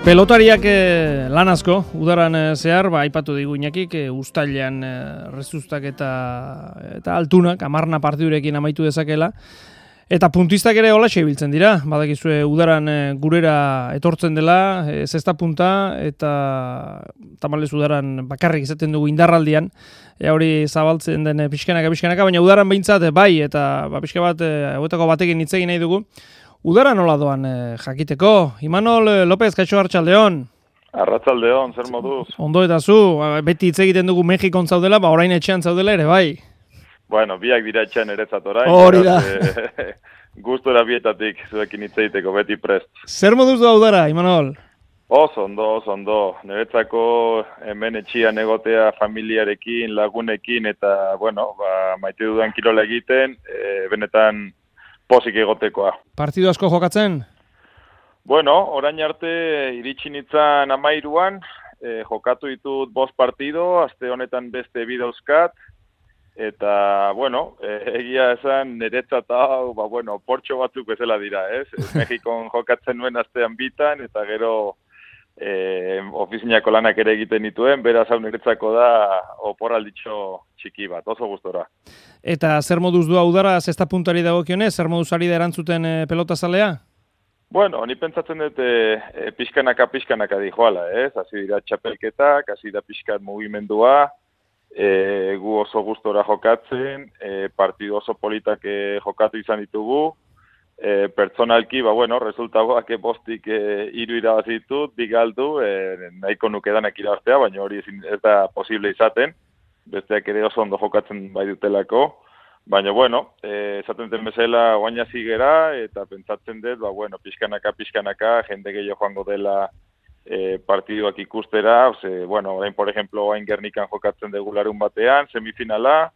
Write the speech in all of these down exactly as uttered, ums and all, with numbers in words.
Pelotariak eh, lan asko, udaran eh, zehar, ba, aipatu digu Iñakik, eh, uztailean eh, rezustak eta, eta altunak, amarna partidurekin amaitu dezakela. Eta puntistak ere holaxe ibiltzen dira, badakizue udaran eh, gurera etortzen dela, eh, zesta punta, eta tamalez udaran bakarrik izaten dugu indarraldian, e, hori zabaltzen den eh, pixkanaka, pixkanaka, baina udaran behintzat eh, bai, eta ba, pixka bat, eh, hauetako batekin hitz egin nahi dugu. Udara nola doan eh, jakiteko? Imanol eh, López, kaixo Arratsaldeon. Arratsaldeon, zer moduz? Ondo eta zu, beti hitz egiten dugu Mexikon zaudela, ba orain etxean zaudela ere, bai. Bueno, biak dira etxean eretzat orain. Hori da. E, gustora bietatik zuekin hitz egiteko beti prest. Zer moduz doa Udara, Imanol? Oso ondo, oso ondo. Niretzako hemen etxean egotea familiarekin, lagunekin, eta, bueno, ba, maite dudan kirola egiten, e, benetan pozik egotekoa. Partidu asko jokatzen? Bueno, orain arte iritsi nintzen amairuan, e, jokatu ditut bost partido, aste honetan beste bi dauzkat, eta, bueno, e, egia esan niretzat hau, ba, bueno, portxo batzuk bezala dira, ez? Mexikon jokatzen nuen astean bitan, eta gero e, ofizinako lanak ere egiten dituen, beraz hau niretzako da oporralditxo txiki bat, oso gustora. Eta zer moduz doa Udara, zesta puntari dagokionez, zer moduz ari da erantzuten e, pelotazalea? Bueno, ni pentsatzen dut e, e, pixkanaka pixkanaka dijoala, ez? Hasi dira txapelketak, hasi da pixkat mugimendua, e, gu oso gustora jokatzen, e, partidu oso politak e, jokatu izan ditugu, e, pertsonalki, ba bueno, resultagoak bostik e, hiru irabazi ditut, bi galdu, e, nahiko nuke danak irabaztea, baina hori ezin, ez da posible izaten, besteak ere oso ondo jokatzen bai dutelako. Baina, bueno, eh, esaten den bezala oaina zigera, eta pentsatzen dut, ba, bueno, pixkanaka, pixkanaka, jende gehiago joango dela eh, partiduak ikustera, ose, bueno, orain, por ejemplo, oain Gernikan jokatzen dugu larun batean, semifinala,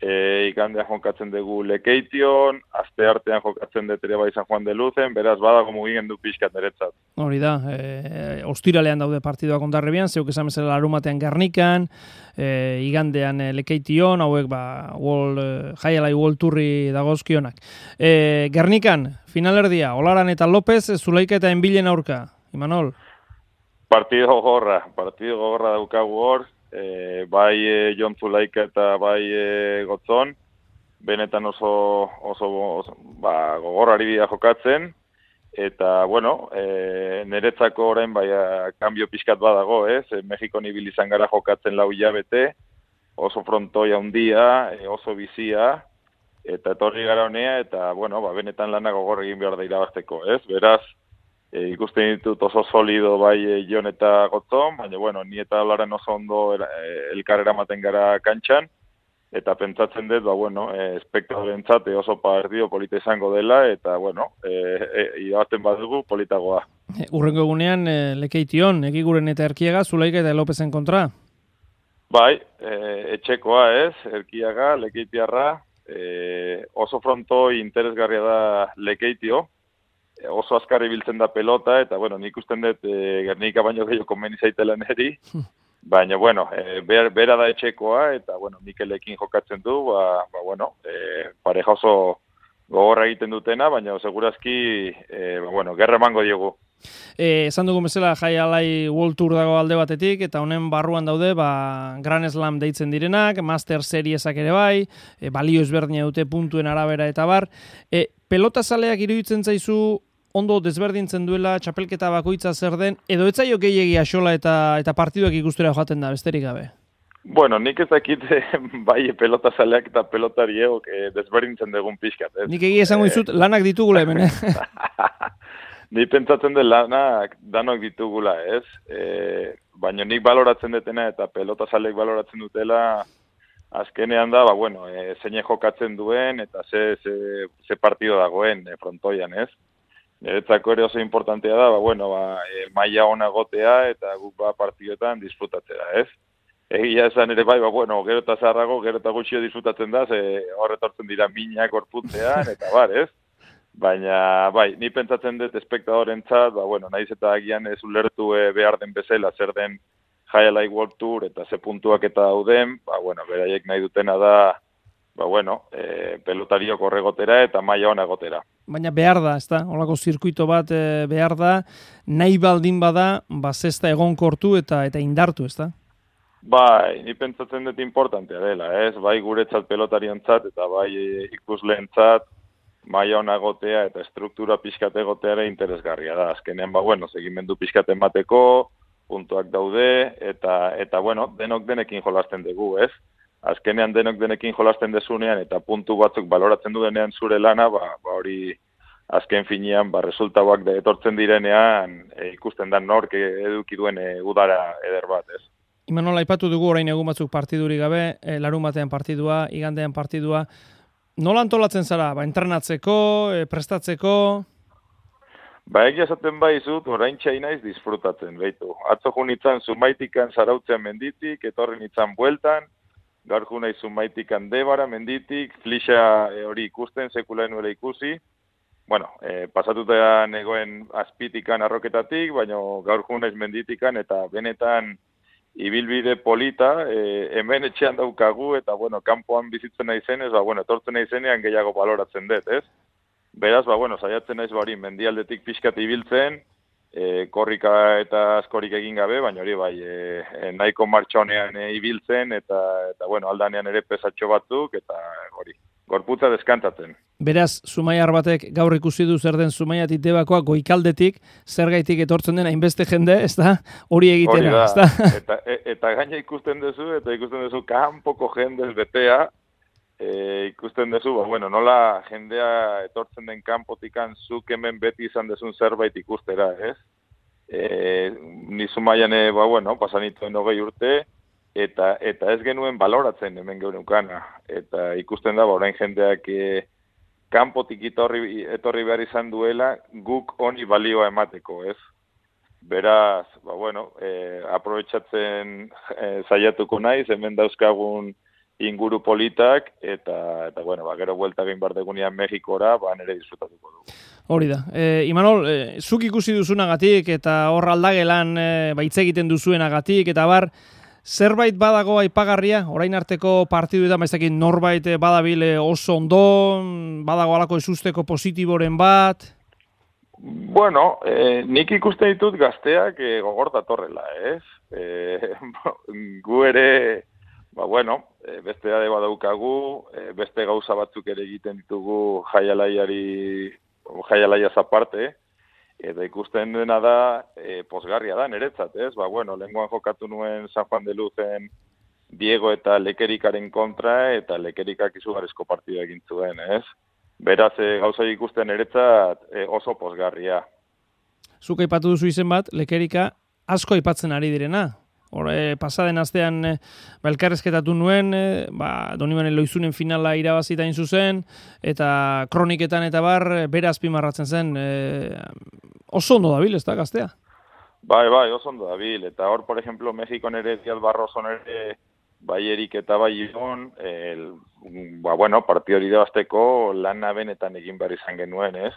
eh, igandean jokatzen dugu Lekeition, aste artean jokatzen dut ere bai San Juan de Luzen, beraz, badago mugimendu pixkat niretzat. Hori da, e, ostiralean daude partiduak Hondarribian, zeuk esan bezala larun batean Gernikan, e, igandean e, Lekeition, hauek ba, World, e, Jaialai World Tourri dagozkionak. E, Gernikan, finalerdia, Olaran eta López, Zulaika eta Enbilen aurka, Imanol? Partido gogorra, partido gogorra daukagu hor, e, bai e, Jon Zulaika eta bai e, Gotzon, benetan oso, oso, oso ba, gogorrari bida jokatzen, eta, bueno, e, niretzako orain bai kanbio pixkat badago, ez? E, Mexikon ibili izan gara jokatzen lau hilabete, oso frontoia handia, e, oso bizia, eta etorri gara honea, eta, bueno, ba, benetan lana gogor egin behar da irabazteko, ez? Beraz, e, ikusten ditut oso solido bai e, Jon eta Gotzon, baina, bueno, ni eta Olaran oso ondo e, elkarrera maten gara kantxan, eta pentsatzen dut, ba, bueno, e, espektadorentzat oso partido polita izango dela, eta, bueno, e, e, irabazten badugu politagoa. E, urrengo egunean, e, Lekeition, Ekiguren eta Erkiaga, Zulaika eta Lopezen kontra? Bai, e, etxekoa ez, Erkiaga, Lekeitiarra, e, oso frontoi interesgarria da Lekeitio, e, oso azkarri biltzen da pelota, eta, bueno, nik usten dut e, Gernika baino gehiago konbeni zaitela neri, baina, bueno, e, ber, bera da etxekoa, eta, bueno, Mikelekin jokatzen du, ba, ba bueno, e, pareja oso gogorra egiten dutena, baina, segurazki, e, ba, bueno, gerra emango diogu. E, esan dugun bezala, Jaialai World Tour dago alde batetik, eta honen barruan daude, ba, Grand Slam deitzen direnak, Master Seriesak ere bai, e, balio ezberdina dute puntuen arabera eta bar. E, pelotazaleak iruditzen zaizu, ondo desberdintzen duela txapelketa bakoitza zer den, edo ez zaio gehiegi axola eta eta partiduak ikustera joaten da, besterik gabe? Bueno, nik ez dakit bai pelotazaleak eta pelotariek eh, desberdintzen dugun pixkat. Ez? Nik egia esango dizut, lanak ditugula hemen, eh? Ni pentsatzen dut lanak danok ditugula, ez? E, baina nik baloratzen dutena eta pelotazaleek baloratzen dutela, azkenean da, ba, bueno, e, zeine jokatzen duen eta ze, ze, ze partido dagoen e, frontoian, ez? Niretzako ere oso importantea da, ba, bueno, ba, e, maila ona gotea eta guk ba partidoetan disfrutatzea, ez? Egia esan ere bai, ba, bueno, gero eta zarrago, gero eta gutxio disfrutatzen da, ze horretortzen dira minak gorputzean, eta bar, ez? Baina, bai, ni pentsatzen dut espektadorentzat, ba, bueno, nahiz eta agian ez ulertu e, behar den bezala, zer den Jaialai World Tour eta ze puntuak eta dauden, ba, bueno, beraiek nahi dutena da, ba, bueno, e, pelotariok horregotera eta maila ona gotera. baina behar da, ez da? Olako zirkuito bat e, behar da, nahi baldin bada, ba, zesta egonkortu eta eta indartu, ez da? Bai, ni pentsatzen dut importantea dela, ez? Bai guretzat pelotariontzat eta bai ikusleentzat maila ona egotea eta struktura pixkat egotea ere interesgarria da. Azkenean, ba, bueno, segimendu pixkat emateko, puntuak daude, eta, eta bueno, denok denekin jolasten dugu, ez? Azkenean denok denekin jolasten dezunean eta puntu batzuk baloratzen du denean zure lana, ba, ba hori azken finean, ba, resultauak da etortzen direnean e, ikusten da nork eduki duen e, udara eder bat, ez? Imanol, aipatu dugu orain egun batzuk partidurik gabe, e, larun batean partidua, igandean partidua. Nola antolatzen zara? Ba, entrenatzeko, e, prestatzeko? Ba, egia esaten baizut, orain txainaiz disfrutatzen, behitu. Atzo junitzen Zumaitikan Zarautzean menditik, etorri nintzen bueltan, gaur junai Zumaitikan Debara menditik, flixa e, hori ikusten, sekulaen nuela ikusi. Bueno, e, pasatuta negoen azpitikan arroketatik, baina gaur junaiz menditikan eta benetan ibilbide polita, e, hemen etxean daukagu, eta, bueno, kanpoan bizitzen naizenez, ba, bueno, etortzen naizenean gehiago baloratzen dut, ez? Beraz, ba, bueno, saiatzen naiz bari mendialdetik pixkat ibiltzen, e, korrika eta askorik egin gabe, baina hori bai, e, nahiko martxonean e, ibiltzen, eta, eta, bueno, aldanean ere pesatxo batzuk, eta hori, gorputza deskantatzen. Beraz, Zumaiar batek gaur ikusi du zer den Zumaiatik Debakoa goikaldetik, zergaitik etortzen den hainbeste jende, ez da? Hori egitera, ez da? Eta, eta gaina ikusten duzu, eta ikusten duzu kanpoko jendez betea, e, ikusten duzu, ba, bueno, nola jendea etortzen den kanpotikan zuk hemen beti izan dezun zerbait ikustera, ez? E, ni Zumaian, ba, bueno, pasanituen hogei urte, eta eta ez genuen baloratzen hemen geunukana. Eta ikusten da, ba, orain jendeak e, kanpotik etorri, etorri behar izan duela guk honi balioa emateko, ez? Beraz, ba, bueno, e, aprobetxatzen e, saiatuko naiz, hemen dauzkagun inguru politak, eta, eta bueno, ba, gero buelta egin behar degunean Mexikora, ba, nire disfrutatuko dugu. Hori da. E, Imanol, e, zuk ikusi duzunagatik, eta hor aldagelan e, ba, hitz egiten duzuenagatik, eta bar, zerbait badago aipagarria, orain arteko partiduetan, baizakin norbait badabile oso ondo, badago alako esusteko positiboren bat? Bueno, eh, nik ikusten ditut gazteak eh, gogor datorrela, ez? Eh, gu ere, ba bueno, eh, beste ade badaukagu, eh, beste gauza batzuk ere egiten ditugu jaialaiari, jaialaiaz aparte, eta ikusten dena da, e, posgarria da, niretzat, ez? Ba, bueno, lehengoan jokatu nuen San Juan de Luzen Diego eta Lekerikaren kontra, eta Lekerikak izugarrizko partida egin zuen, ez? Beraz, e, gauza ikusten niretzat e, oso posgarria. Zuk aipatu duzu izen bat, Lekerika asko aipatzen ari direna. Hor, e, pasaden astean e, ba, elkarrezketatu nuen, e, ba, Donibane Loizunen finala irabazita hain zuzen, eta kroniketan eta bar, bere azpimarratzen zen, e, oso ondo dabil, ez da, gaztea? Bai, bai, oso ondo dabil, eta hor, por ejemplo, Mexikon ere, Diaz Barroson ere, bai erik eta bai iron, el, ba, bueno, partio hori debazteko lana benetan egin behar izan genuen, ez?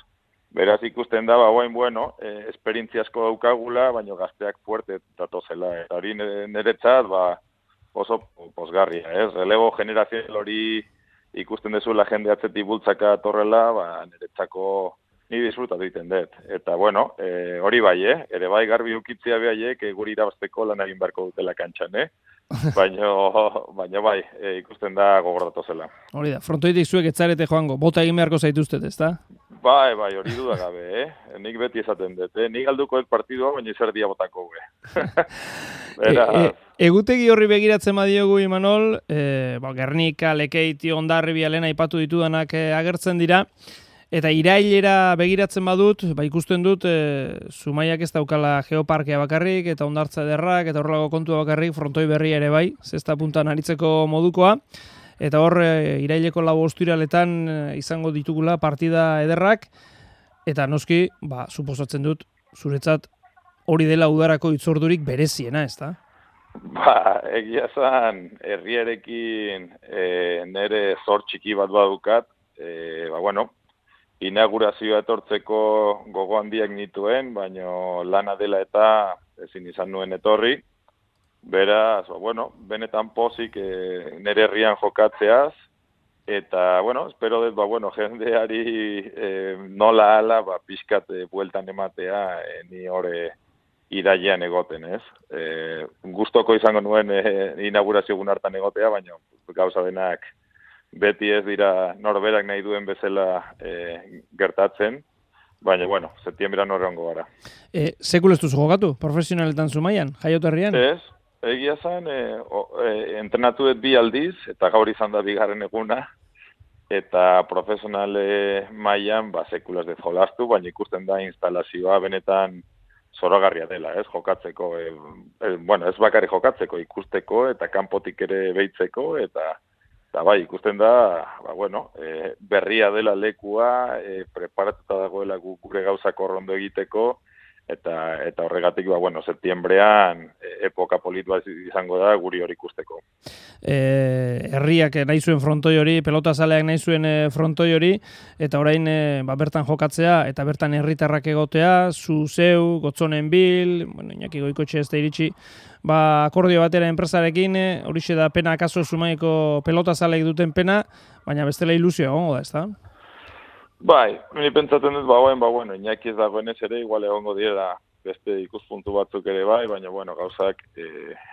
Beraz ikusten da, ba, guain, bueno, eh, esperientzia asko daukagula, baina gazteak fuerte datozela. Eta hori niretzat, ba, oso posgarria, ez? Relego generazioa hori ikusten dezula jende atzetik bultzaka torrela, ba, niretzako ni disfrutatu egiten dut. Eta, bueno, eh, hori bai, eh? Ere bai garbi ukitzia behaiek eh, guri irabazteko lan egin beharko dutela kantxan, eh? Baina, baina bai, e, ikusten da gogordatu zela. Hori da, frontoitik zuek etzarete joango, bota egin beharko zaituztet, ez da? Bai, bai, hori dudagabe, eh? Nik beti esaten dut, eh? Nik galduko dut partidua, baina zer dia botako, eh? Beraz... e, e, egutegi horri begiratzen badiogu, Imanol, e, ba, Gernika, Lekeiti, Hondarribia, lehen aipatu ditudanak e, agertzen dira, eta irailera begiratzen badut, ba, ikusten dut, e, Zumaiak ez daukala geoparkea bakarrik, eta Hondartza ederrak, eta horrelako kontua bakarrik, frontoi berria ere bai, zesta puntan aritzeko modukoa, eta hor, e, iraileko lau ostiraletan e, izango ditugula partida ederrak, eta noski, ba, suposatzen dut, zuretzat hori dela udarako itzordurik bereziena, ez da? Ba, egia zan, herriarekin e, nere zor txiki bat badukat, e, ba, bueno, inaugurazioa etortzeko gogo handiak nituen, baino lana dela eta ezin izan nuen etorri. Beraz, ba, bueno, benetan pozik e, nere herrian jokatzeaz, Eta, bueno, espero dut, ba, bueno, jendeari e, nola ala, ba, pixkat e, bueltan ematea, e, ni hori irailean egoten, ez? E, gustoko izango nuen e, inaugurazio egun hartan egotea, baina gauza denak beti ez dira norberak nahi duen bezala e, gertatzen, baina, bueno, septiembrean horrengo gara. E, sekul ez duzu jokatu, profesionaletan zumaian, jaioterrian? Ez, egia zen, e, o, e, entrenatu dut bi aldiz, eta gaur izan da bigarren eguna, eta profesionale mailan ba, sekulaz de jolastu, baina ikusten da instalazioa benetan zoragarria dela, ez, jokatzeko, e, e, bueno, ez bakarrik jokatzeko, ikusteko, eta kanpotik ere behitzeko, eta Eta bai, ikusten da, ba, bueno, e, berria dela lekua, e, preparatuta dagoela gure gauzak horrondo egiteko, eta eta horregatik, ba, bueno, septiembrean e, epoka polit bat izango da guri hori ikusteko. E, herriak nahi zuen frontoi hori, pelotazaleak nahi zuen frontoi hori, eta orain e, ba, bertan jokatzea, eta bertan herritarrak egotea, zu zeu, gotzonen bil, bueno, Iñaki Goikotxe ez da iritsi, ba, akordio batera enpresarekin, horixe da pena akaso Zumaiko pelotazaleek duten pena, baina bestela ilusio egongo da, ez da? Bai, ni pentsatzen dut, ba, ba, bueno, Iñaki ez dagoenez ere, igual egongo direla beste ikuspuntu batzuk ere bai, baina, bueno, gauzak e,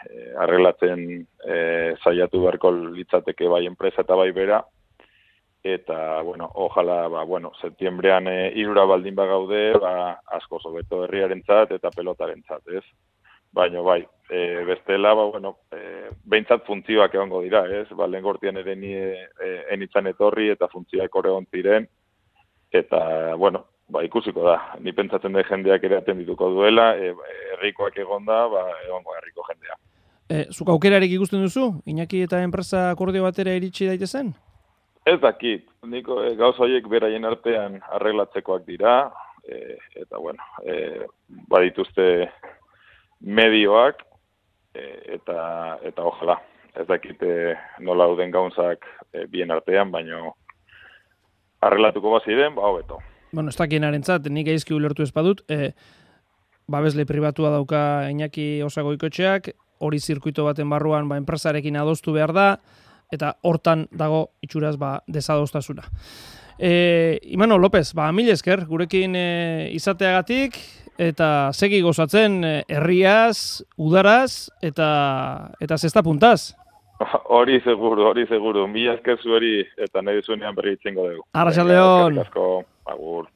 e, arreglatzen e, saiatu beharko litzateke bai enpresa eta bai bera, eta, bueno, ojala, ba, bueno, septiembrean e, irura baldin bagaude, ba, asko zobeto herriarentzat eta pelotarentzat, ez? Baina, bai, e, bestela, ba, bueno, e, behintzat funtzioak egongo dira, ez? Ba, lehen gortian ere ni e, enitzan etorri eta funtzioak horregon ziren, eta, bueno, ba, ikusiko da. Ni pentsatzen da jendeak ere atendituko duela, e, herrikoak egonda, ba, egongo herriko jendea. E, zuk aukerarik ikusten duzu? Iñaki eta enpresa akordio batera iritsi daitezen? Ez dakit. Niko e, gauz horiek beraien artean arreglatzekoak dira, e, eta, bueno, e, badituzte medioak, e, eta, eta ojala. Ez dakite nola dauden gauzak e, bien artean, baina arreglatuko baziren, ba, hobeto. Bueno, ez dakienarentzat, nik gaizki ulertu ez badut, e, babesle pribatua dauka Iñaki Goikotxeak, hori zirkuito baten barruan ba, enpresarekin adostu behar da, eta hortan dago itxuraz ba, desadostasuna. E, Imano López, ba, mil esker, gurekin e, izateagatik, eta segi gozatzen e, herriaz, udaraz, eta, eta zesta puntaz. Hori seguru, hori seguru. Mila esker zueri eta nahi zuenean berri itzengo dugu. Arratsaldeon. Agur.